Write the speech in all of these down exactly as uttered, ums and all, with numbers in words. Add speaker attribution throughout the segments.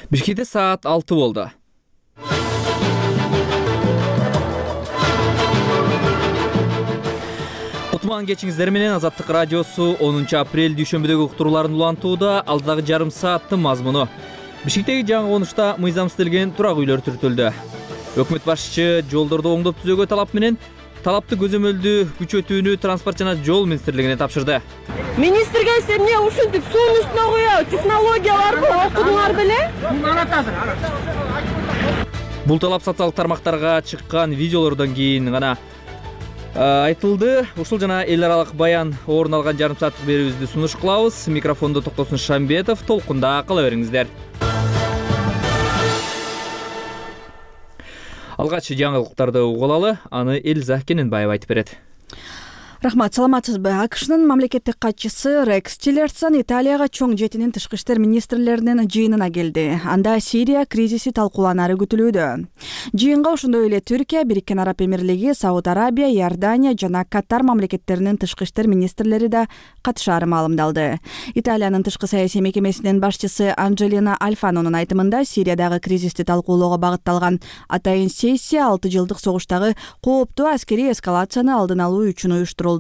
Speaker 1: Бишкекте саат алты болду. Кутман кечиңиздер менен Азаттык радиосу онунчу апрель дүйшөмбүдөгү уктурууларын улантууда. Алдагы жарым сааттын мазмуну. Бишкектеги жаңы конушта мыйзам иштелген турак үйлөр түртүлдү. Өкмөт башчы жолдорду оңдоп түзөөгө талап менен талапты көзөмөлдүү күчөтүүнү транспорт жана жол министрлигине тапшырды.
Speaker 2: Министрге сен эмне ушинтип суунун үстүнө коюп технологияларды окудуңар беле?
Speaker 1: Бул талап социалдык тармактарга чыккан видеолордон кийин гана айтылды. Ушул жана эл аралык баян орун алган жарым сааттык берүүбүздү сунуш кылабыз. Микрофондо Токтосун Шамбетов, толкунда кала бериңиздер. Алгач жаңылыктарды угуп алалы, аны Элза Кененбаева айтып берет.
Speaker 3: Рахмат, саламатсызбы? АКШнын мамлекеттик катчысы Рекс Тиллерсон Италияга чоң жетинин тышкы иштер министрлеринин жыйынына келди. Анда Сирия кризиси талкууланары күтүлүүдө. Жыйынга ошондой эле Түркия, Бириккен Араб Эмирлиги, Сауд Арабия, Иордания жана Катар мамлекеттеринин тышкы иштер министрлери да катышаары маалымдалды. Италиянын тышкы саясий мекемесинин башчысы Анджелина Альфанонун айтымында Сириядагы кризисти талкуулоого багытталган атайын сессия алты жылдык согуштагы кооптуу аскерий эскалацияны алдын алуу үчүн уюштурулду.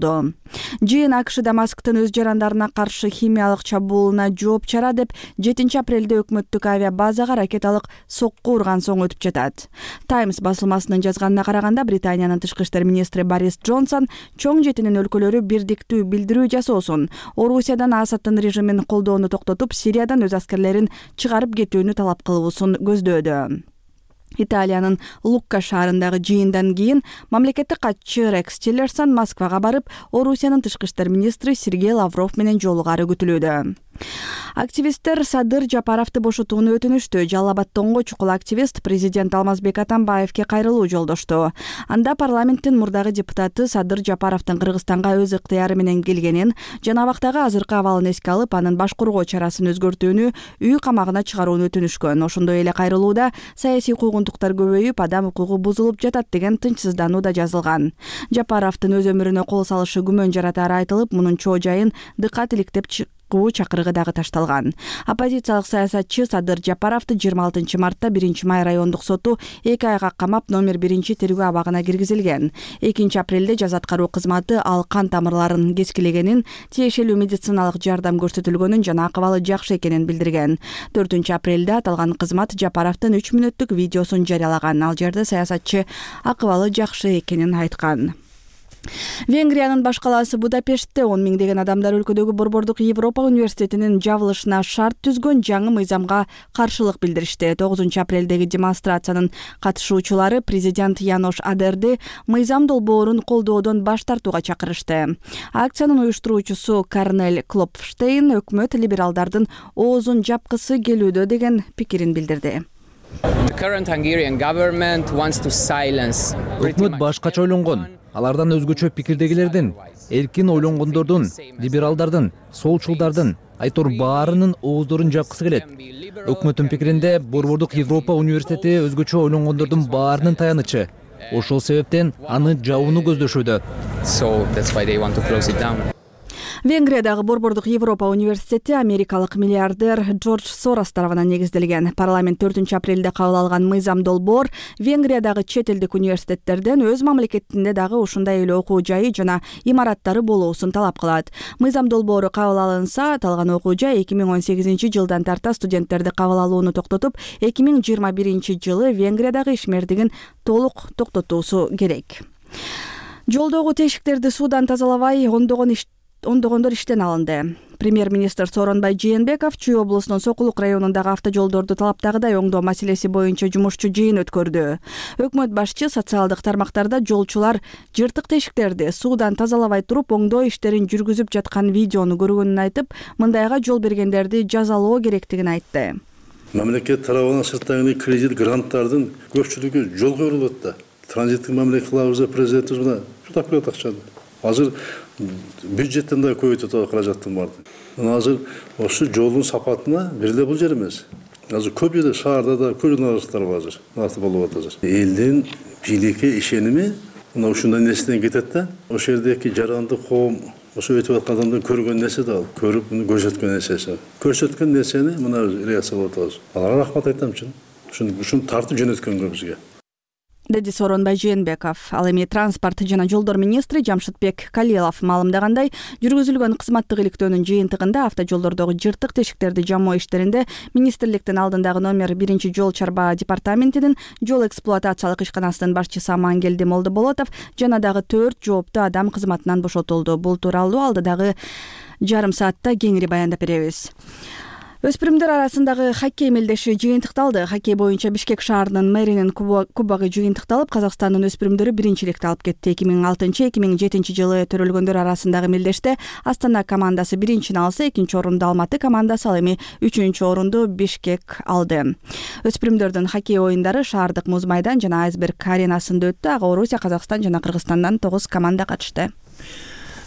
Speaker 3: Жыйын АКШ Дамасктын өз жарандарына каршы химиялык чабуулуна жооп чара деп жетинчи апрелде өкмөттүк авиабазага ракеталык сокку урган соң өтүп жатат. Таймс басылмасынын жазганына караганда Британиянын тышкы иштер министри Борис Джонсон чоң жетинин өлкөлөрү бирдиктүү билдирүү жасоосун, Орусиядан Асадтын режимин колдоону токтотуп, Сириядан өз аскерлерин чыгарып кетүүнү талап кылуусун көздөөдү. Италиянын Лукка шаарындагы жыйындан кийин мамлекеттик катчы Рекс Тиллерсон Москвага барып, Орусиянын тышкы иштер министри Сергей Лавров менен жолугары күтүлүүдө. Активисттер Садыр Жапаровду бошотууну өтүнүштү. Жалал Абадтагы чукул активист президент Алмазбек Атамбаевке кайрылуу жолдошту. Анда парламенттин мурдагы депутаты Садыр Жапаровдун Кыргызстанга өз ыктыяры менен келгенин жана абактагы азыркы абалын эске алып, анын баш коргоо чарасын өзгөртүүнү, үй камагына чыгарууну өтүнүшкөн. Ошондой эле кайрылууда саясий куугунтуктар көбөйүп, адам укугу бузулуп жатат деген тынчсыздануу да жазылган. Жапаровдун өз өмүрүнө кол салышы күмөн жаратары айтылып, мунун чоо жайын дыкат иликтеп куу чакырыгы дагы ташталган. Оппозициялык саясатчы Садыр Жапаровду жыйырма алтынчы мартта биринчи май райондук соту эки айга камап, номер биринчи тергөө абагына киргизилген. экинчи апрелде жаза аткаруу кызматы ал кан тамырларын кескилегенин, тиешелүү медициналык жардам көрсөтүлгөнүн жана акыбалы жакшы экенин билдирген. төртүнчү апрелде аталган кызмат Жапаровдун үч мүнөттүк видеосун жарыялаган. Ал жерде саясатчы акыбалы жакшы экенин айткан. Венгриянын баш калаасы Будапештте он миңдеген адамдар өлкөдөгү Борбордук Европа университетинин жабылышына шарт түзгөн жаңы мыйзамга каршылык билдиришти. тогузунчу апрелдеги демонстрациянын катышуучулары президент Янош Адерди мыйзам долбоорун колдоодон баш тартууга чакырышты. Акциянын уюштуруучусу Корнель Клопфштейн өкмөт либералдардын оозун жапкысы келүүдө деген пикирин билдирди.
Speaker 4: Өкмөт башкача ойлонгон. Алардан өзгөчө пикирдегилердин, эркин ойлонгондордун, либералдардын, солчулдардын, айтор баарынын ооздорун жапкысы келет. Өкмөттүн пикиринде Борбордук Европа университети өзгөчө ойлонгондордун баарынын таянычы. Ошол себептен аны жабууну көздөшүүдө.
Speaker 3: Венгриядагы Борбордук Европа университети америкалык миллиардер Джордж Сорос тарабынан негизделген. Парламент төртүнчү апрелде кабыл алган мыйзам долбоор Венгриядагы чет элдик университеттерден өз мамлекетинде дагы ушундай эле окуу жайы жана имараттары болуусун талап кылат. Мыйзам долбоору кабыл алынса, аталган окуу жай эки миң он сегизинчи жылдан тарта студенттерди кабыл алууну токтотуп, эки миң жыйырма биринчи жылы Венгриядагы ишмердигин толук токтотуусу керек. Жолдогу тешиктерди суудан тазалабай ондогон иш ондогондор иштен алынды. Премьер-министр Сооронбай Жээнбеков Чүй облусунун Сокулук районундагы автожолдорду талаптагыдай оңдоо маселеси боюнча жумушчу жыйын өткөрдү. Өкмөт башчы социалдык тармактарда жолчулар жыртык тешиктерди суудан тазалабай туруп оңдоо иштерин жүргүзүп жаткан видеону көргөнүн айтып, мындайга жол бергендерди жазалоо керектигин айтты.
Speaker 5: Мамлекет тарабынан сырттагы кредит гранттардын көпчүлүгү жолго урулат да. Транзиттик мамлекет кылабыз президентибиз мына жутап берет акчаны. Азыр бюджеттен да көбөйтүп каражаттын барды. Азыр ошо жолдун сапатына бир эле бул жер эмес. Азыр көп жерде шаарда да көп журналисттер бар азыр. Насып болуп атат азыр. Элдин бийликке ишеними мына ушундай нерседен кетет да. Ошол жердеки жарандык коом ошо өтүп аткан адамдын көргөн нерсе да ал, көрүп муну көрсөткөн нерсеси. Көрсөткөн нерсени мына реакция кылып атабыз. Аларга рахмат айтам чын. Ушуну ушуну тартып жөнөткөнгө бизге.
Speaker 3: деди Сооронбай Жээнбеков. Ал эми транспорт жана жолдор министри Жамшытбек Калилов маалымдагандай, жүргүзүлгөн кызматтык иликтөөнүн жыйынтыгында автожолдордогу жыртык тешиктерди жамоо иштеринде министрликтин алдындагы номер биринчи жол чарба департаментинин жол эксплуатациялык ишканасынын башчысы Амангелди Молдоболотов жана дагы төрт жооптуу адам кызматынан бошотулду. Бул тууралуу алдыдагы жарым саатта кеңири баяндап беребиз. Өспүрүмдөр арасындагы хоккей мелдеши жыйынтыкталды. Хоккей боюнча Бишкек шаарынын мэринин кубогу жыйынтыкталып, Казакстандын өспүрүмдөрү биринчиликти алып кетти. эки миң алтынчы эки миң жетинчи жылы төрөлгөндөр арасындагы мелдеште Астана командасы биринчини алса, экинчи орунду Алматы командасы, ал эми үчүнчү орунду Бишкек алды. Өспүрүмдөрдүн хоккей оюндары шаардык муз майдан жана Айсберг аренасында өттү. Ага Орусия, Казакстан жана Кыргызстандан тогуз команда катышты.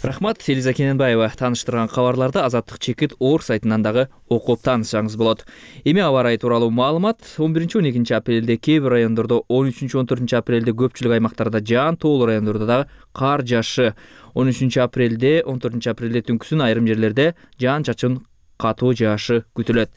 Speaker 1: Рахмат, Элиза Кененбаева таныштырган кабарларды Азаттык чекит Оор сайтынан дагы окуп таанышсаңыз болот. Эми аба ырайы тууралуу маалымат. он биринчи он экинчи апрелде кээ бир райондордо, он үчүнчү он төртүнчү апрелде көпчүлүк аймактарда жаан, тоолуу райондордо дагы кар жаашы. он үчүнчү апрелде, он төртүнчү апрелде түнкүсүн айрым жерлерде жаан чачын катуу жаашы күтүлөт.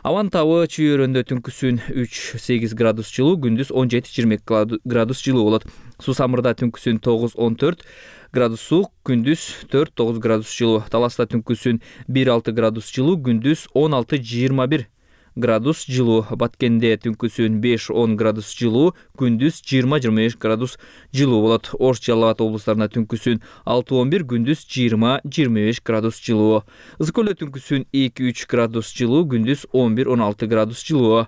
Speaker 1: Абанын табы чүйөрөндө түнкүсүн үч сегиз градус жылуу, күндүз он жети жыйырма эки градус жылуу болот. Суу самырда түнкүсүн тогуз он төрт градус суук, күндүз төрт тогуз градус жылуу. Таласта түнкүсүн бир алты градус жылуу, күндүз он алты жыйырма бир градус жылуу. Баткенде түнкүсүн беш он градус жылуу, күндүз жыйырма жыйырма беш градус жылуу болот. Ош, Жалал Абад облустарында түнкүсүн алты он бир, күндүз жыйырма жыйырма беш градус жылуу. Ысык көлдө түнкүсүн эки үч градус жылуу, күндүз он бир он алты градус жылуу.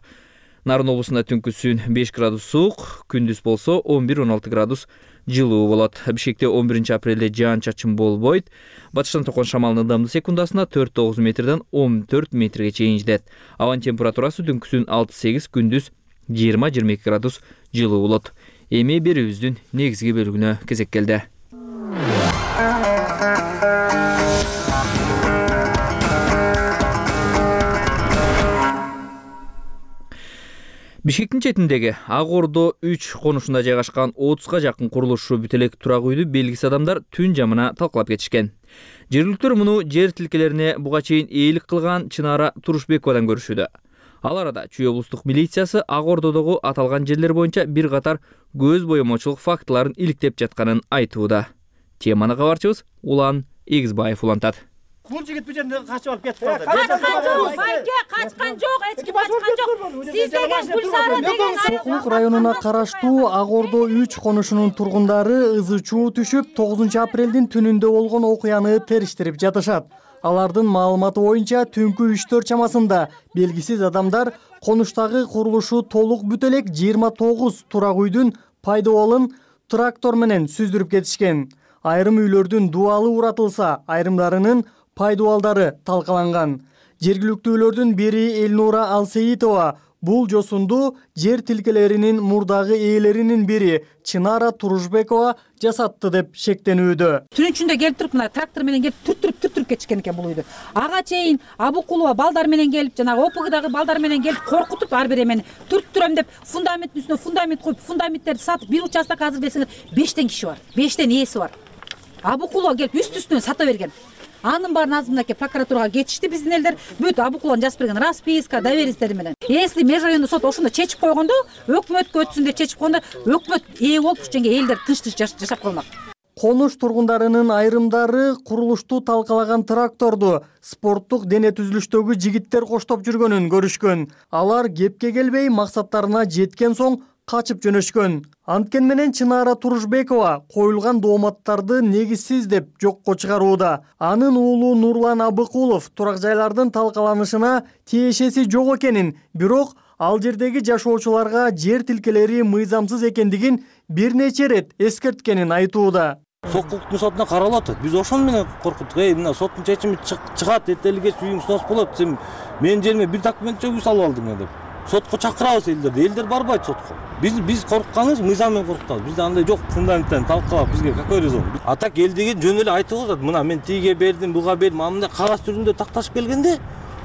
Speaker 1: Нарын облусунда түнкүсүн беш градус суук, күндүз болсо он бир он алты градус жылуу болот. Бишкекте он биринчи апрелде жаан чачын болбойт. Батыштан токон шамалдын ылдамдыгы секундасына төрт тогуз метрден он төрт метрге чейин жетет. Абанын температурасы түнкүсүн алты сегиз, күндүз жыйырма жыйырма эки градус жылуу болот. Эми берүүбүздүн негизги бөлүгүнө кезек келди. Бишкектин четиндеги Ак Ордо үч конушунда жайгашкан отузга жакын курулушу бүт элек турак үйдү белгисиз адамдар түн жамына талкалап кетишкен. Жергиликтүүлөр муну жер тилкелерине буга чейин ээлик кылган Чынара Турушбековадан көрүшүүдө. Ал арада Чүй облустук милициясы Ак Ордодогу аталган жерлер боюнча бир катар көз боемочулук фактыларын иликтеп жатканын айтууда. Теманы кабарчыбыз Улан Эгизбаев улантат.
Speaker 6: Бул жигит бу жерден качып алып кетип калды.
Speaker 2: Качкан жок, байке, качкан жок, эч ким качкан жок. Сиз деген Гүлсара деген
Speaker 6: Сокулук районуна караштуу Ак Ордо үч конушунун тургундары ызы чуу түшүп, тогузунчу апрелдин түнүндө болгон окуяны териштирип жатышат. Алардын маалыматы боюнча түнкү үчтөр чамасында белгисиз адамдар конуштагы курулушу толук бүт элек жыйырма тогуз турак үйдүн пайдаболун трактор менен сүздүрүп кетишкен. Айрым үйлөрдүн дуалы уратылса, айрымдарынын пайдабалдары талкаланган. Жергиликтүүлөрдүн бири Элнура Алсеитова бул жосунду жер тилкелеринин мурдагы ээлеринин бири Чынара Турушбекова жасатты деп шектенүүдө.
Speaker 7: Түнүн ичинде келип туруп, мына трактор менен келип түртүрүп түртүрүп кетишкен экен бул үйдү. Ага чейин Абукулова балдар менен келип, жанагы ОПГдагы балдар менен келип коркутуп, ар бир эмени түрттүрөм деп фундаменттин үстүнө фундамент коюп, фундаменттерди сатып, бир участок азыр десеңер бештен киши бар. бештен ээси бар. Абукулова келип үстү-үстүнө сата берген. Анын баарын азыр мынакей прокуратурага кетишти биздин элдер. Бүт Абукуловдун жазып берген расписка, доверенностьтери менен. Если межрайондук сот ошондо чечип койгондо, өкмөткө өтсүн деп чечип койгондо, өкмөт ээ болуп ушунча элдер тынч-тынч жашап калмак.
Speaker 6: Конуш тургундарынын айрымдары курулушту талкалаган тракторду спорттук дене түзүлүштөгү жигиттер коштоп жүргөнүн көрүшкөн. Алар кепке келбей максаттарына жеткен соң качып жөнөшкөн. Анткени менен Чынара Турушбекова коюлган дооматтарды негизсиз деп жокко чыгарууда. Анын уулу Нурлан Абыкулов турак жайлардын талкаланышына тиешеси жок экенин, бирок ал жердеги жашоочуларга жер тилкелери мыйзамсыз экендигин бир нече ирет эскерткенин айтууда.
Speaker 8: Сокулуктун сотуна каралып атат. Биз ошон менен коркуттук. Эй, мына соттун чечими чыгат, эртеликке үйүң снос болот. Сен менин жериме бир документ жок салып алдың деп. Сотко чакырабыз элдерди. Элдер барбайт сотко. Биз биз коркканыбыз мыйзам менен коркутабыз. Бизде андай жок, фундаменттен талкалап бизге какой резон. А так эл деген жөн эле айтып атат. Мына мен тиге бердим, буга бердим. Мындай кагаз түрүндө такташып келгенде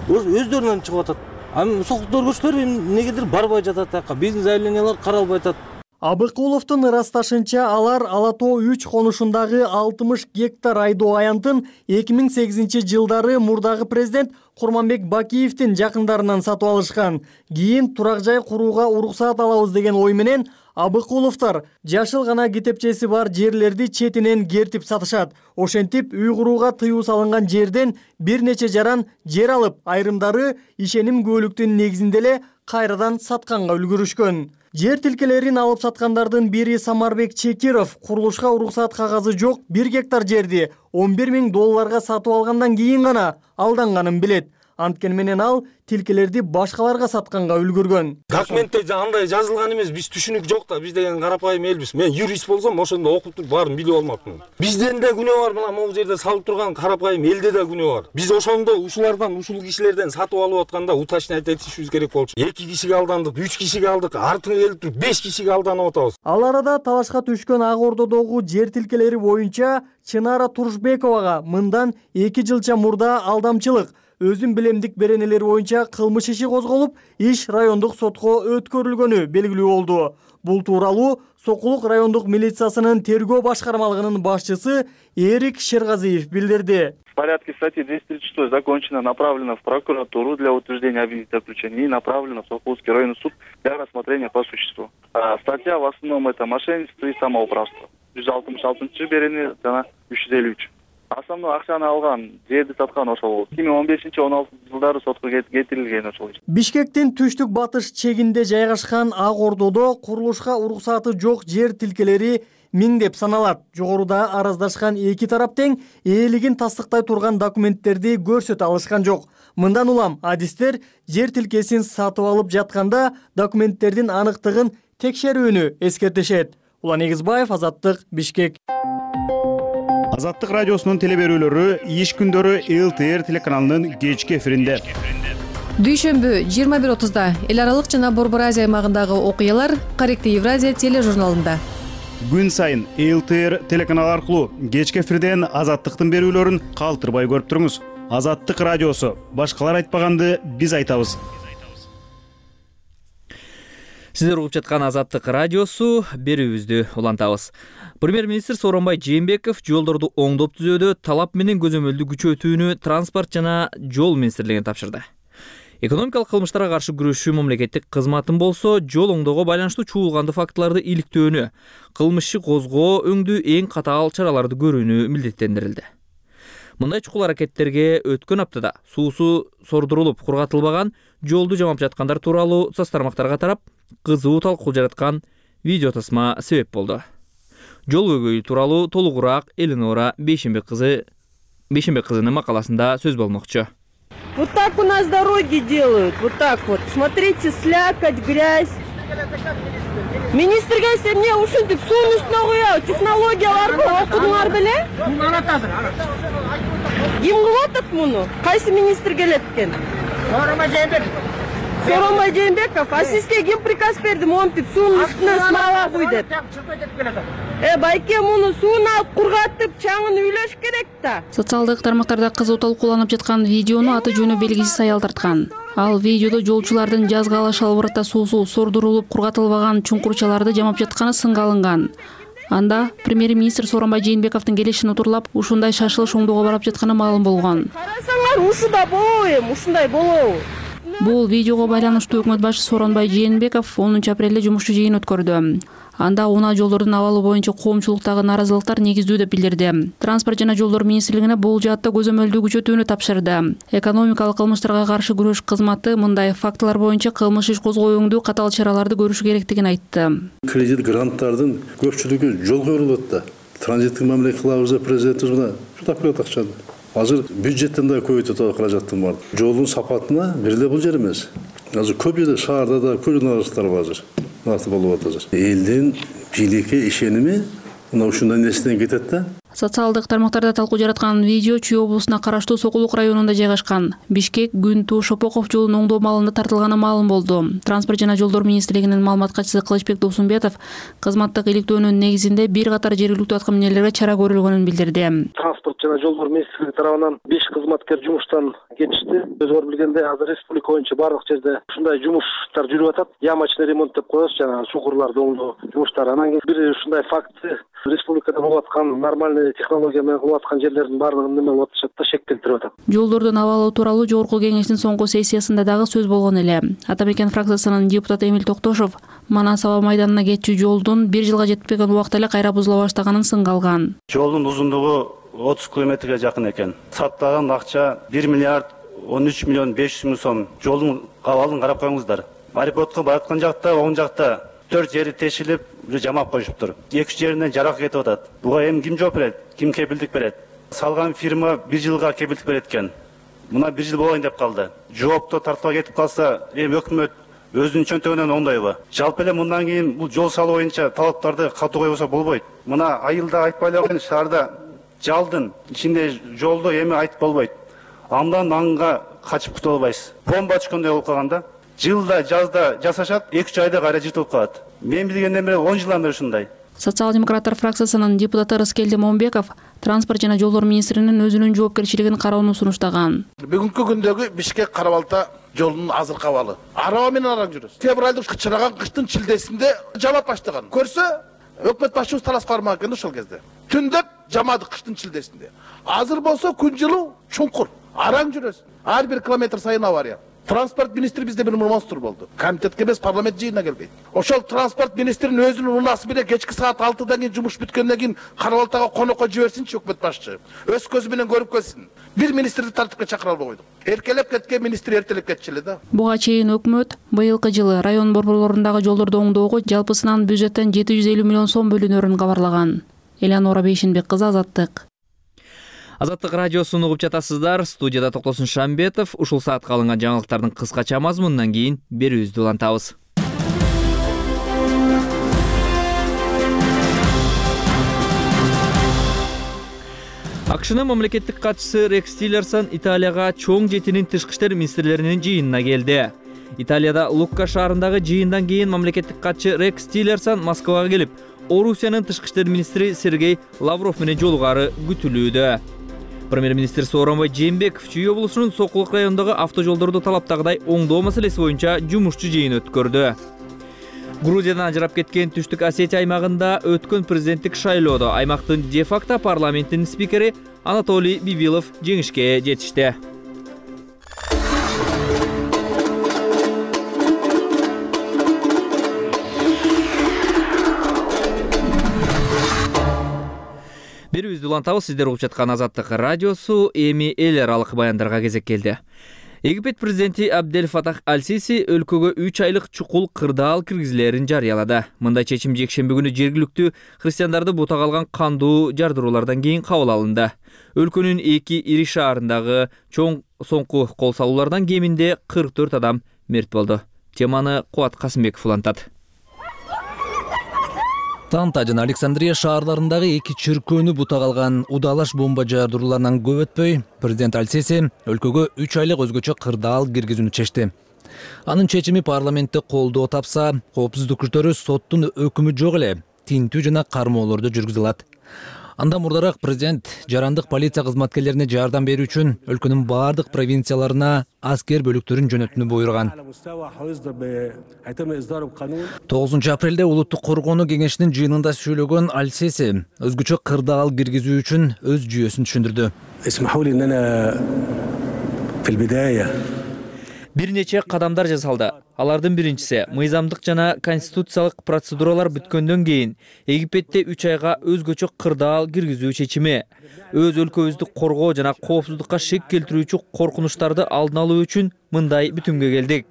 Speaker 8: өздөрүнөн чыгып атат. А сокулук көргөчтөр эмнегедир барбай жатат акка. Биздин заявлениялар каралбай атат.
Speaker 6: Абыкуловдун ырасташынча, алар Ала Тоо үч конушундагы алтымыш гектар айдоо аянтын эки миң сегизинчи жылдары мурдагы президент Курманбек Бакиевдин жакындарынан сатып алышкан. Кийин турак жай курууга уруксаат алабыз деген ой менен Абыкуловдор жашыл гана китепчеси бар жерлерди четинен кертип сатышат. Ошентип үй курууга тыюу салынган жерден бир нече жаран жер алып, айрымдары ишеним күбөлүктүн негизинде эле кайрадан сатканга үлгүрүшкөн. Жер тилкелерин алып саткандардын бири Самарбек Чекиров курулушка уруксаат кагазы жок бир гектар жерди он бир миң долларга сатып алгандан кийин гана алданганын билет. Анткени менен ал тилкелерди башкаларга сатканга үлгүргөн.
Speaker 8: Документте андай жазылган эмес, биз түшүнүк жок да, биз деген карапайым элбиз. Мен юрист болсом, ошондо окуп туруп баарын билип алмакмын. Бизден да күнөө бар, мына могу жерде салып турган карапайым элде да күнөө бар. Биз ошондо ушулардан, ушул кишилерден сатып алып атканда уточнять этишибиз керек болчу. эки кишиге алдандык, үч кишиге алдык, артыңа келип туруп беш кишиге алданып атабыз.
Speaker 6: Ал арада талашка түшкөн Ак Ордодогу жер тилкелери боюнча Чынара Турушбековага мындан эки жылча мурда алдамчылык, өзүн билемдик беренелери боюнча кылмыш иши козголуп, иш райондук сотко өткөрүлгөнү белгилүү болду. Бул тууралуу Сокулук райондук милициясынын тергөө башкармалыгынын башчысы Эрик Шергазиев билдирди.
Speaker 9: В порядке статьи двести тридцать шесть закончено, направлено в прокуратуру для утверждения обвинительного заключения и направлено в Сокуловский районный суд для рассмотрения по существу. А статья в основном это мошенничество и самоуправство. жүз алтымыш алтынчы берени жана үч жүз элүү үч. Основной акчаны алган, жерди саткан ошол. эки миң он бешинчи он алтынчы жылдары сотко кетирилген ошол.
Speaker 6: Бишкектин түштүк батыш чегинде жайгашкан Ак Ордодо курулушка уруксаты жок жер тилкелери миңдеп саналат. Жогоруда араздашкан эки тарап тең ээлигин тастыктай турган документтерди көрсөтө алышкан жок. Мындан улам адистер жер тилкесин сатып алып жатканда документтердин аныктыгын текшерүүнү эскертишет. Улан Эгизбаев, Азаттык, Бишкек.
Speaker 10: Азаттык радиосунун телеберүүлөрү иш күндөрү эл тэ эр телеканалынын кечки эфиринде.
Speaker 11: Дүйшөмбү жыйырма бир отузда эл аралык жана Борбор Азия аймагындагы окуялар Корректив Евразия тележурналында.
Speaker 10: Күн сайын эл тэ эр телеканалы аркылуу кечки эфирден Азаттыктын берүүлөрүн калтырбай көрүп туруңуз. Азаттык радиосу, башкалар айтпаганды биз айтабыз.
Speaker 1: Сиздер угуп жаткан Азаттык радиосу, берүүбүздү улантабыз. Премьер-министр Сооронбай Жээнбеков жолдорду оңдоп түзүүдө талап менен көзөмөлдү күчөтүүнү транспорт жана жол министрлигине тапшырды. Экономикалык кылмыштарга каршы күрөшүү мамлекеттик кызматын болсо, жол оңдоого байланыштуу чуулганды фактыларды иликтөөнү, кылмышчы козгоо өңдүү эң катаал чараларды көрүүнү милдеттендирилди. Мындай чукул аракеттерге өткөн аптада суусу сордурулуп кургатылбаган жолду жамап жаткандар тууралуу соц тармактарга тарап кызуу талкуу жараткан видео тасма себеп болду. Жол көйгөйү тууралуу толугураак Эленора Бейшембек кызы Бейшембек кызынын макаласында сөз болмокчу.
Speaker 2: Вот так у нас дороги делают, вот так вот. Смотрите, слякоть, грязь. Министрге сен эмне ушинтип суунун үстүнө коёбу? Технологияларды окудуңар беле? Ким кылып атат муну? Кайсы министр келет экен? Сооронбай Жээнбеков. Сооронбай Жээнбеков, а сизге ким приказ берди монтип суунун үстүнө смола куй деп? Э, байке муну сууну алып кургатып, чаңын үйлөш керек да.
Speaker 11: Социалдык тармактарда кызуу талкууланып жаткан видеону аты жөнү белгисиз аял тарткан. Ал видеодо жолчулардын жазгы ала шалбыртта суусу сордурулуп кургатылбаган чуңкурчаларды жамап жатканы сынга алынган. Анда премьер-министр Сооронбай Жээнбековдун келишин утурлап, ушундай шашылыш оңдоого барып жатканы маалым болгон.
Speaker 2: Карасаңар, ушуда болобу эми, ушундай болобу?
Speaker 11: Бул видеого байланыштуу өкмөт башчысы Сооронбай Жээнбеков онунчу апрелде жумушчу жыйын өткөрдү. Анда унаа жолдордун абалы боюнча коомчулуктагы наразылыктар негиздүү деп билдирди. Транспорт жана жолдор министрлигине бул жаатта көзөмөлдүү күчөтүүнү тапшырды. Экономикалык кылмыштарга каршы күрөш кызматы мындай фактылар боюнча кылмыш иш козгоо өңдүү катаал чараларды көрүшү керектигин айтты.
Speaker 5: Кредит гранттардын көпчүлүгү жолго курулат да. Транзиттик мамиле кылабыз деп президентибиз мына жутап берет акчаны. Азыр бюджеттен да көбөйтүп каражаттын бар. Жолдун сапатына бир эле бул жер эмес. Азыр көп жерде шаарда да көп наразылыктар бар азыр. Насып болуп атат азыр. Элдин бийликке ишеними мына ушундай нерседен кетет да.
Speaker 11: Социалдык тармактарда талкуу жараткан видео Чүй облусуна караштуу Сокулук районунда жайгашкан. Бишкек Күнтүү Шопоков жолунун оңдоо маалында тартылганы маалым болду. Транспорт жана жолдор министрлигинин маалымат катчысы Кылычбек Досумбетов кызматтык иликтөөнүн негизинде бир катар жергиликтүү аткаминерлерге чара көрүлгөнүн билдирди.
Speaker 12: Транспорт жана жолдор министрлиги тарабынан беш кызматкер жумуштан кетишти. Өзүңөр билгендей, азыр республика боюнча барлык жерде ушундай жумуштар жүрүп атат. Ямочный ремонт деп коебуз, жана чукурларды оңдоо жумуштары. Анан кийин бир ушундай факты республикада болуп аткан нормальный технология менен кылып аткан жерлердин баардыгын неме кылып атышат да, шек келтирип атат.
Speaker 11: Жолдордун абалы тууралуу жогорку кеңештин соңку сессиясында дагы сөз болгон эле. Ата мекен фракциясынын депутаты Эмил Токтошов Манас аба майданына кетчү жолдун бир жылга жетпеген убакта эле кайра бузула баштаганын сынга алган.
Speaker 13: Жолдун узундугу отуз километрге жакын экен. Саттаган акча бир миллиард он үч миллион беш жүз миң сом. Жолдун абалын карап коюңуздар. Аэропортко бараткан жакта, оң жакта төрт жери тешилип, жамап коюшуптур. эки жеринен жарак кетип атат. Буга эми ким жооп берет? Ким кепилдик берет? Салган фирма бир жылга кепилдик берет экен. Мына бир жыл болоюн деп калды. Жоопту тартпай кетип калса, эми өкмөт өзүнүн чөнтөгүнөн оңдойбу? Жалпы эле мындан кийин бул жол салуу боюнча талаптарды катуу койбосо болбойт. Мына айылда айтпай эле койгон шаарда жалдын ичинде жолду эми айтып болбойт. Андан аңга качып кутула албайсыз. Бомба түшкөндөй болуп калганда, жылда жазда жасашат, эки үч айда кайра жыртылып калат. Мен билгенден бери он жылдан бери ушундай.
Speaker 11: Социал-демократтар фракциясынын депутаты Рыскелди Момбеков транспорт жана жолдор министринин өзүнүн жоопкерчилигин кароону сунуштаган.
Speaker 14: Бүгүнкү күндөгү Бишкек Карабалта жолунун азыркы абалы. Араба менен араң жүрөсүз. Февралдын чыраган кыштын чилдесинде жамап баштаган. Көрсө, өкмөт башчыбыз талас кармак экен ошол кезде. Түндөп жамады кыштын чилдесинде. Азыр болсо күн жылуу чуңкур. Араң жүрөсүз. Ар бир километр сайын авария. Транспорт министри бизде бир монстр болду. Комитетке эмес, парламент жыйынына келбейт. Ошол транспорт министринин өзүнүн унасы менен кечки саат алтыдан кийин жумуш бүткөндөн кийин Карабалтага конокко жиберсинчи өкмөт башчы. Өз көзү менен көрүп келсин. Бир министрди тартипке чакыра албай койдук. Эркелеп кеткен министр эртелеп кетчү эле да.
Speaker 11: Буга чейин өкмөт быйылкы жылы район борборлорундагы жолдорду оңдоого жалпысынан бюджеттен жети жүз элүү миллион сом бөлүнөрүн кабарлаган. Элеонора Бейшенбек кызы, Азаттык.
Speaker 1: Азаттык радиосун угуп жатасыздар. Студияда Токтосун Шамбетов. Ушул саатка алынган жаңылыктардын кыскача мазмунунан кийин берүүбүздү улантабыз. АКШнын мамлекеттик катчысы Рекс Тиллерсон Италияга чоң жетинин тышкы иштер министрлеринин жыйынына келди. Италияда Лукка шаарындагы жыйындан кийин мамлекеттик катчы Рекс Тиллерсон Москвага келип, Орусиянын тышкы иштер министри Сергей Лавров менен жолугары күтүлүүдө. Премьер-министр Сооронбай Жээнбеков Чүй облусунун Сокулук районундагы автожолдорду талаптагыдай оңдоо маселеси боюнча жумушчу жыйын өткөрдү. Грузиядан ажырап кеткен Түштүк Осетия аймагында өткөн президенттик шайлоодо аймактын де-факто парламентинин спикери Анатолий Бибилов жеңишке жетишти. Берүүбүздү улантабыз. Сиздер угуп жаткан Азаттык радиосу. Эми эл аралык баяндарга кезек келди. Египет президенти Абдель Фатах Аль-Сиси өлкөгө үч айлык чукул кырдаал киргизилерин жарыялады. Мындай чечим жекшемби күнү жергиликтүү христиандарды бутак алган кандуу жардыруулардан кийин кабыл алынды. Өлкөнүн эки ири шаарындагы чоң соңку кол салуулардан кеминде кырк төрт адам мерт болду. Теманы Кубат Касымбеков улантат.
Speaker 4: Танта жана Александрия шаарларындагы эки чиркөөнү бутак алган удалаш бомба жардырууларынан көп өтпөй, президент Аль-Сиси өлкөгө үч айлык өзгөчө кырдаал киргизүүнү чечти. Анын чечими парламентте колдоо тапса, коопсуздук күчтөрү соттун өкүмү жок эле тинтүү жана кармоолорду жүргүзө алат. Андан мурдараак президент жарандык полиция кызматкерлерине жардам берүү үчүн өлкөнүн бардык провинцияларына аскер бөлүктөрүн жөнөтүүнү буйруган. тогузунчу апрелде улуттук коргонуу кеңешинин жыйынында сүйлөгөн Аль-Сиси өзгөчө кырдаал киргизүү үчүн өз жүйөсүн түшүндүрдү.
Speaker 1: Бир нече кадамдар жасалды. Алардын биринчиси мыйзамдык жана конституциялык процедуралар бүткөндөн кийин Египетте үч айга өзгөчө кырдаал киргизүү чечими. Өз өлкөбүздү коргоо жана коопсуздукка шек келтирүүчү коркунучтарды алдын алуу үчүн мындай бүтүмгө келдик.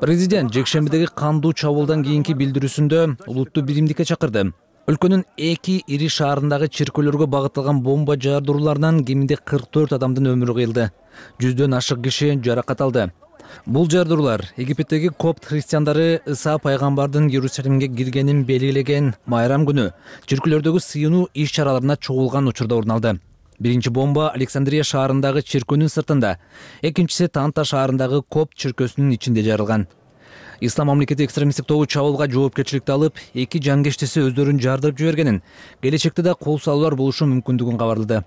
Speaker 4: Президент жекшембидеги кандуу чабуулдан кийинки билдирүүсүндө улутту биримдикке чакырды. Өлкөнүн эки ири шаарындагы чиркөөлөргө багытталган бомба жардырууларынан кеминде кырк төрт адамдын өмүрү кыйылды. Жүздөн ашык киши жаракат алды. Бул жардыруулар Египеттеги копт христиандары Иса пайгамбардын Иерусалимге киргенин белгилеген майрам күнү чиркөөлөрдөгү сыйынуу иш-чараларына чогулган учурда орун алды. Биринчи бомба Александрия шаарындагы чиркөөнүн сыртында, экинчиси Танта шаарындагы копт чиркөөсүнүн ичинде жарылган. Ислам мамлекети экстремисттик тобу чабуулга жоопкерчиликти алып, эки жангештиси өздөрүн жардырып жибергенин, келечекте да кол салуулар болушу мүмкүндүгүн кабарлады.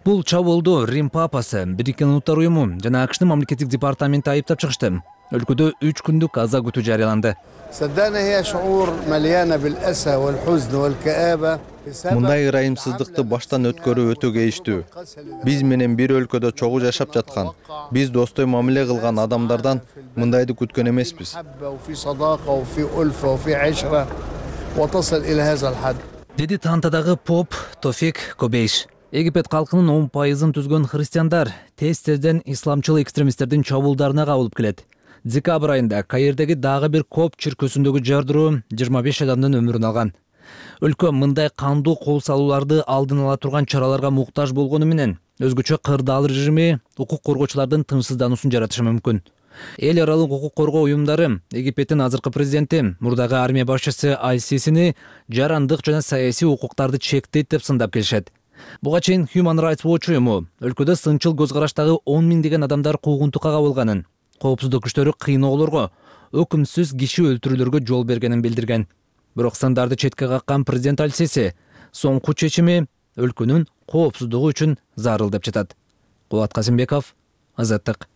Speaker 4: Бул чабуулду Рим папасы, Бириккен Улуттар уюму жана АКШтын мамлекеттик департаменти айыптап чыгышты. Өлкөдө үч күндүк аза күтүү жарыяланды.
Speaker 15: Мындай ырайымсыздыкты баштан өткөрүү өтө кейиштүү. Биз менен бир өлкөдө чогуу жашап жаткан, биз достой мамиле кылган адамдардан мындайды күткөн эмеспиз.
Speaker 4: Деди Тантадагы поп Тофик Кобейш. Египет калкынын он пайызын түзгөн христиандар тез-тезден исламчыл экстремисттердин чабуулдарына кабылып келет. Декабрь айында Каирдеги дагы бир копт чиркөөсүндөгү жардыруу жыйырма беш адамдын өмүрүн алган. Өлкө мындай кандуу кол салууларды алдын ала турган чараларга муктаж болгону менен өзгөчө кырдаал режими укук коргоочулардын тынчсыздануусун жаратышы мүмкүн. Эл аралык укук коргоо уюмдары Египеттин азыркы президенти, мурдагы армия башчысы Аль-Сисини жарандык жана саясий укуктарды чектейт деп сындап келишет. Буга чейин Human Rights Watch уюму өлкөдө сынчыл көз караштагы он миңдеген адамдар куугунтукка кабылганын, коопсуздук күчтөрү кыйноолорго, өкүмсүз киши өлтүрүүлөргө жол бергенин билдирген. Бирок сындарды четке каккан президент Аль-Сиси соңку чечими өлкөнүн коопсуздугу үчүн зарыл деп жатат. Кулат Казимбеков, Азаттык.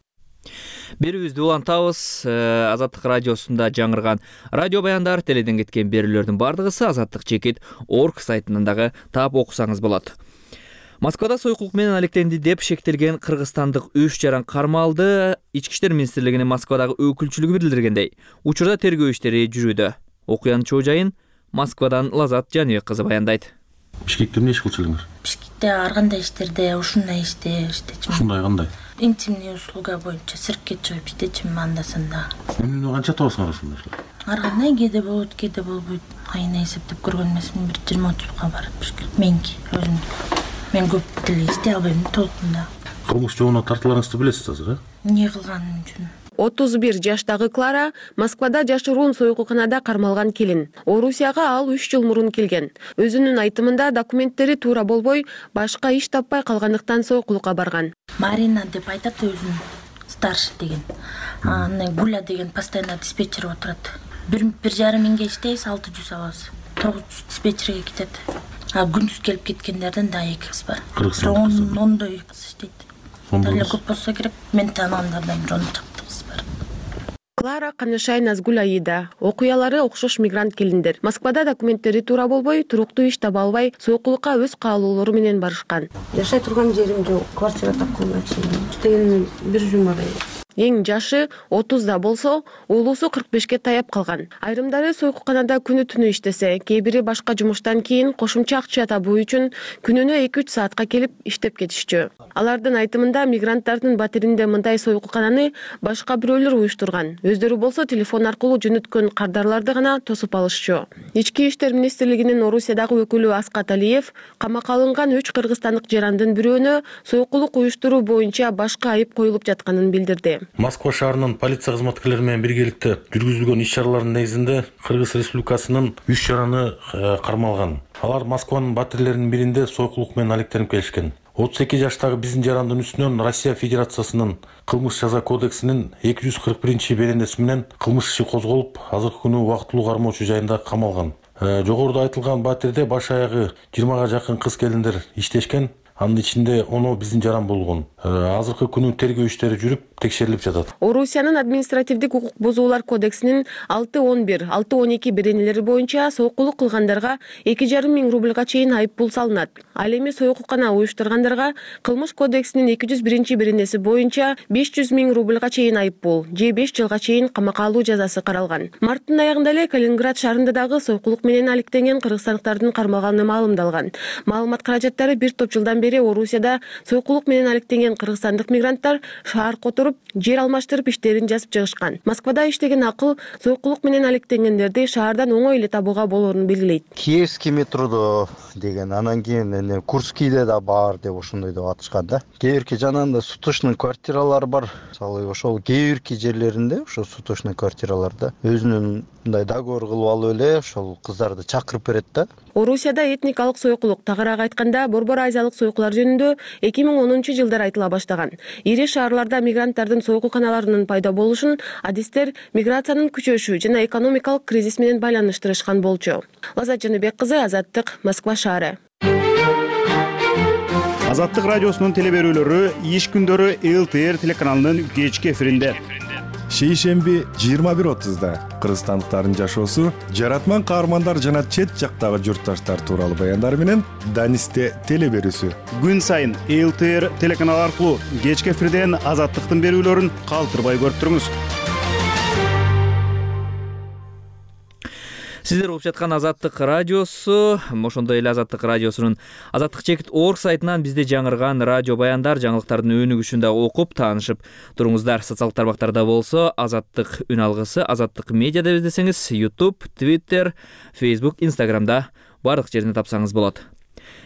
Speaker 1: Берүүбүздү улантабыз. Азаттык радиосунда жаңырган радио баяндар, теледен кеткен берүүлөрдүн бардыгысы Азаттык чекит орг сайтынан дагы таап окусаңыз болот. Москвада сойкулук менен алектенди деп шектелген кыргызстандык үч жаран кармалды. Ички иштер министрлигинин Москвадагы өкүлчүлүгү билдиргендей, учурда тергөө иштери жүрүүдө. Окуянын чоо жайын Москвадан Лазат Жаныбек кызы баяндайт.
Speaker 16: Бишкекте эмне иш кылчылдыңар?
Speaker 17: Бишкекте ар кандай иштерде ушундай иште иштечимин.
Speaker 16: Ушундай кандай?
Speaker 17: Интимный услуга боюнча сыртке чыгып иштечимин анда-санда.
Speaker 16: Эмне канча табасыңар ушундай иштер?
Speaker 17: Ар кандай кээде болот, кээде болбойт. Айына эсептеп көргөн эмесмин, бир жыйырма отузга барат бишкек. Меники өзүм. Мен көп деле иштей албайм толкунда.
Speaker 16: Кылмыш жообуна тартыларыңызды билесиз азыр, э?
Speaker 17: Эмне кылганым үчүн?
Speaker 18: отуз бир жаштагы Клара Москвада жашыруун сойкулканада кармалган келин. Орусияга ал үч жыл мурун келген. Өзүнүн айтымында документтери туура болбой, башка иш таппай калгандыктан сойкулукка барган.
Speaker 17: Марина деп айтат өзүн, старший деген. Аны Гуля деген постоянно диспетчер отурат. Бир бир жарым миңге иштейбиз, алты жүз алабыз. тогуз жүз диспетчерге кетет. А күндүз келип кеткендерден да эки кыз бар.
Speaker 16: Кыргызстан
Speaker 17: ондой кыз иштейт. Деле көп болсо керек, мен тааныгандардан бир он чакты кыз бар.
Speaker 18: Клара Канышай Назгуль Аида. Окуялары окшош мигрант келиндер. Москвада документтери туура болбой, туруктуу иш таба албай, сойкулукка өз каалоолору менен барышкан.
Speaker 19: Жашай турган жерим жок, квартира тапканга чейин. Иштегеним бир жума эле.
Speaker 18: Эң жашы отузда болсо, уулусу кырк бешке таяп калган. Айрымдары сойкулканада күнү түнү иштесе, кээ бири башка жумуштан кийин кошумча акча табуу үчүн күнүнө эки үч саатка келип иштеп кетишчү. Алардын айтымында мигранттардын батиринде мындай сойкулкананы башка бирөөлөр уюштурган. Өздөрү болсо телефон аркылуу жөнөткөн кардарларды гана тосуп алышчу. Ички иштер министрлигинин Орусиядагы өкүлү Аскат Алиев камакка алынган үч кыргызстандык жарандын бирөөнө сойкулук уюштуруу боюнча башка айып коюлуп жатканын билдирди.
Speaker 16: Москва шаарынын полиция кызматкерлери менен биргеликте жүргүзүлгөн иш-чаралардын негизинде Кыргыз Республикасынын үч жараны кармалган. Алар Москванын батирлеринин биринде сойкулук менен алектенип келишкен. отуз эки жаштагы биздин жарандын үстүнөн Россия Федерациясынын кылмыш жаза кодексинин эки жүз кырк биринчи беренеси менен кылмыш иши козголуп, азыркы күнү убактылуу кармоочу жайында камалган. Жогоруда айтылган батирде баш аягы жыйырмага жакын кыз келиндер иштешкен. Анын ичинде ону биздин жаран болгон. Азыркы күнү тергөө иштери жүрүп, текшерилип жатат.
Speaker 18: Орусиянын административдик укук бузуулар кодексинин алты он бир, алты он эки беренелери боюнча сойкулук кылгандарга эки жарым миң рубльга чейин айып пул салынат. Ал эми сойкулкана уюштургандарга кылмыш кодексинин эки жүз биринчи беренеси боюнча беш жүз миң рубльга чейин айып пул, же беш жылга чейин камакка алуу жазасы каралган. Марттын аягында эле Калининград шаарында дагы сойкулук менен алектенген кыргызстандыктардын кармалганы маалымдалган. Маалымат каражаттары бир топ жылдан бери Орусияда сойкулук менен алектенген кыргызстандык мигранттар шаар которуп, жер алмаштырып иштерин жазып чыгышкан. Москвада иштеген акыл сойкулук менен алектенгендерди шаардан оңой эле табууга болоорун белгилейт.
Speaker 20: Киевский метродо деген, анан кийин Курскийде да бар деп ошондой деп атышкан да. Кээ бирки жанагындай суточный квартиралар бар. Мисалы ошол кээ бирки жерлеринде ошо суточный квартираларда өзүнүн мындай договор кылып алып эле ошол кыздарды чакырып берет да.
Speaker 18: Орусияда этникалык сойкулук, тагыраак айтканда Борбор Азиялык сойкулар жөнүндө эки миң онунчу жылдары айтыла баштаган. Ири шаарларда мигранттардын сойкулканаларынын пайда болушун адистер миграциянын күчөшү жана экономикалык кризис менен байланыштырышкан болчу. Лазат Жаныбек кызы, Азаттык, Москва шаары.
Speaker 10: Азаттык радиосунун телеберүүлөрү иш күндөрү эл тэ эр телеканалынын кечки эфиринде.
Speaker 21: Шейшемби жыйырма бир отузда кыргызстандыктардын жашоосу, жаратман каармандар жана чет жактагы журтташтар тууралуу баяндар менен Данисте телеберүүсү.
Speaker 10: Күн сайын эл тэ эр телеканалы аркылуу кечки эфирден Азаттыктын берүүлөрүн калтырбай көрүп туруңуз.
Speaker 1: Сиздер угуп жаткан Азаттык радиосу, ошондой эле Азаттык радиосунун азаттык чекит точка орг сайтынан бизде жаңырган радио баяндар, жаңылыктардын өнүгүшүн да окуп, таанышып туруңуздар. Социалдык тармактарда болсо Азаттык үн алгысы, Азаттык медиа деп издесеңиз, YouTube, Twitter, Facebook, Instagramда бардык жеринде тапсаңыз болот.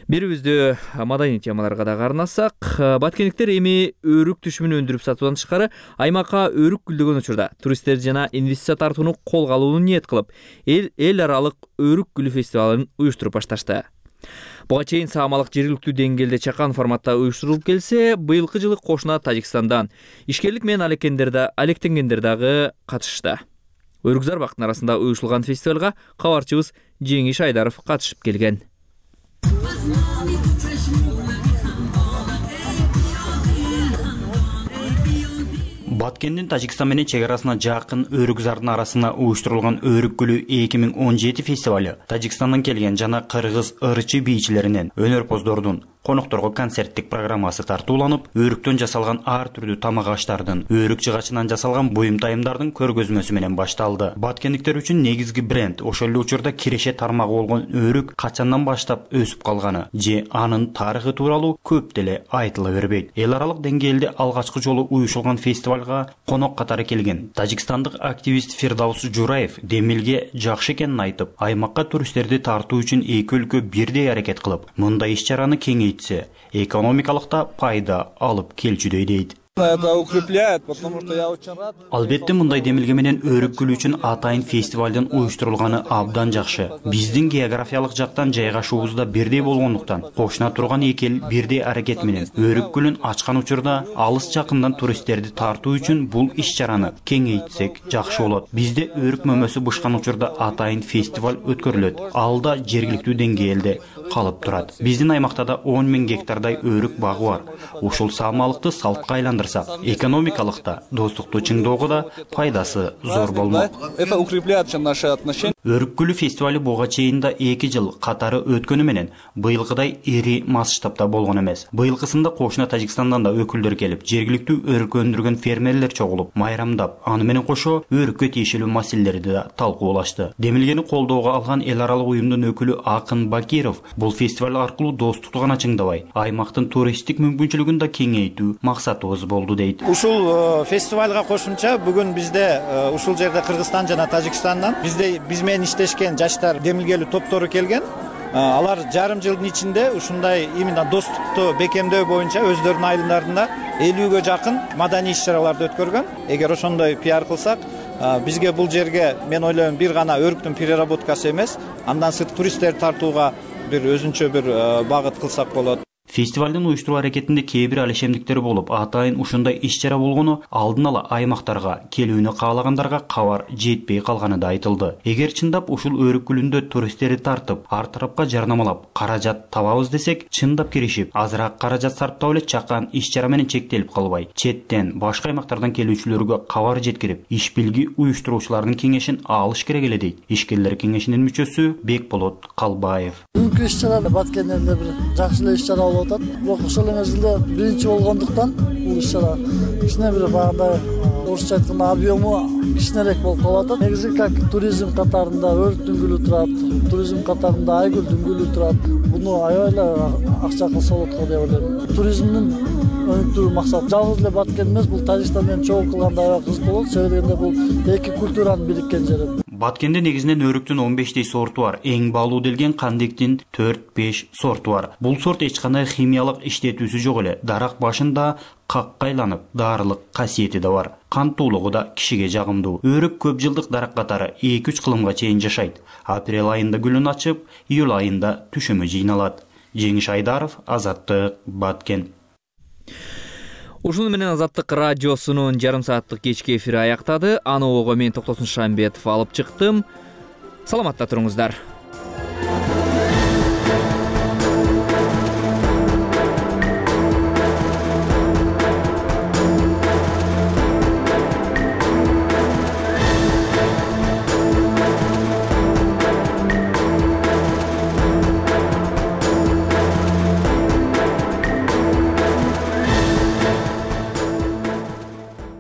Speaker 1: Бирибизди маданий темаларга да карнасак, баткендиктер эми өрүк түшүмүн өндүрүп сатуудан тышкары аймакка өрүк гүлдөгөн учурда туристтер жана инвестиция тартууну колго алууну ниет кылып, эл эл аралык өрүк гүлү фестивалын уюштуруп башташты. Буга чейин саамалык жергиликтүү деңгээлде чакан форматта уюштурулуп келсе, быйылкы жылы кошуна Тажикстандан ишкерлик менен алектенгендер дагы катышты. Өрүк зарбактын арасында уюштурулган фестивалга кабарчыбыз Жеңиш Айдаров катышып келген.
Speaker 22: Баткендин Тажикстан менен чек арасына жакын Өрүкзардын арасына уюштурулган Өрүк гүлү эки миң он жети фестивалю Тажикстандан келген жана кыргыз ырчы бийчилеринен, өнөрпоздордун, конокторго концерттик программасы тартууланып, өрүктөн жасалган ар түрдүү тамак аштардын, өрүк жыгачынан жасалган буюм-тайымдардын көргөзмөсү менен башталды. Баткендиктер үчүн негизги бренд, ошол эле учурда киреше тармагы болгон өрүк качандан баштап өсүп калганы же анын тарыхы тууралуу көп деле айтыла бербейт. Эл аралык деңгээлде алгачкы жолу уюштурулган фестивалга конок катары келген тажикстандык активист Фирдаус Жураев демилге жакшы экенин айтып, аймакка туристтерди тартуу үчүн эки өлкө бирдей аракет кылып, мындай иш-чараны кеңейтсе, экономикалык да пайда алып келчүдөй дейт.
Speaker 23: Это укрепляет, потому что я очень рад.
Speaker 22: Албетте мындай демилге менен өрүк гүлү үчүн атайын фестивалдын уюштурулганы абдан жакшы. Биздин географиялык жактан жайгашуубуз да бирдей болгондуктан, кошуна турган эки эл бирдей аракет менен өрүк гүлүн ачкан учурда алыс жакындан туристтерди тартуу үчүн бул иш-чараны кеңейтсек жакшы болот. Бизде өрүк мөмөсү бышкан учурда атайын фестиваль өткөрүлөт. Ал да жергиликтүү деңгээлде калып турат. Биздин аймакта да он миң гектардай өрүк багы бар. Ушул саамалыкты салтка айландырсак, экономикалыкта, достукту чыңдоого да пайдасы зор болмок.
Speaker 23: Это укрепляет наши отношения.
Speaker 22: Өрүк гүлү фестивалю буга чейин да эки жыл катары өткөнү менен быйылкыдай ири масштабта болгон эмес. Быйылкысында кошуна Тажикстандан да өкүлдөр келип, жергиликтүү өрүк өндүргөн фермерлер чогулуп, майрамдап, аны менен кошо өрүккө тиешелүү маселелерди да талкуулашты. Демилгени колдоого алган эл аралык уюмдун өкүлү Акын Бакиров бул фестиваль аркылуу достукту гана чыңдабай, аймактын туристтик мүмкүнчүлүгүн да кеңейтүү максатыбыз болду дейт.
Speaker 24: Ушул фестивалга кошумча бүгүн бизде ушул жерде Кыргызстан жана Тажикстандан бизде биз менен иштешкен жаштар демилгелүү топтору келген. Алар жарым жылдын ичинде ушундай именно достукту бекемдөө боюнча өздөрүнүн айылдарында элүүгө жакын маданий иш-чараларды өткөргөн. Эгер ошондой пиар кылсак, бизге бул жерге мен ойлойм бир гана өрүктүн переработкасы эмес, андан сырт туристтерди тартууга бир өзүнчө бир багыт кылсак болот.
Speaker 22: Фестивалдын уюштуруу аракетинде кээ бир алешемдиктер болуп, атайын ушундай иш-чара болгону алдын ала аймактарга келүүнү каалагандарга кабар жетпей калганы да айтылды. Эгер чындап ушул өрүк гүлүндө туристтерди тартып, ар тарапка жарнамалап, каражат табабыз десек, чындап киришип, азыраак каражат сарптап эле чакан иш-чара менен чектелип калбай, четтен, башка аймактардан келүүчүлөргө кабар жеткирип, иш билги уюштуруучулардын кеңешин алыш керек эле дейт Ишкерлер кеңешинин мүчөсү Бекболот Калбаев.
Speaker 25: Бүгүнкү иш-чара Баткендерде бир жакшы эле иш-чара болуп атат. Бирок ошол мезгилде биринчи болгондуктан бул иш-чара кичине бир багындай орусча айтканда объему кичинерээк болуп калып атат. Негизи как туризм катарында өрт дүңгүлү турат, туризм катарында айгүл дүңгүлү турат. Буну аябай эле акча кылса болот го деп ойлойм. Туризмдин өнүктүрүү максат жалгыз эле Баткен эмес, бул Тажикстан менен чогуу кылганда аябай кызык болот. Себеби дегенде бул эки культуранын бириккен жери.
Speaker 22: Баткенде негизинен өрүктүн он бештей сорту бар. Эң баалуу делген кандектин төрт беш сорту бар. Бул сорт эч кандай химиялык иштетүүсү жок эле. Дарак башында какка айланып, дарылык касиети да бар. Кантуулугу да кишиге жагымдуу. Өрүк көп жылдык дарак катары эки үч кылымга чейин жашайт. Апрель айында гүлүн ачып, июль айында түшүмү жыйналат. Жеңиш Айдаров, Азаттык, Баткен.
Speaker 1: Ушуну менен Азаттык радиосунун жарым сааттык кечки эфири аяктады. Аны ого мен Токтосун Шамбетов алып чыктым. Саламатта туруңуздар.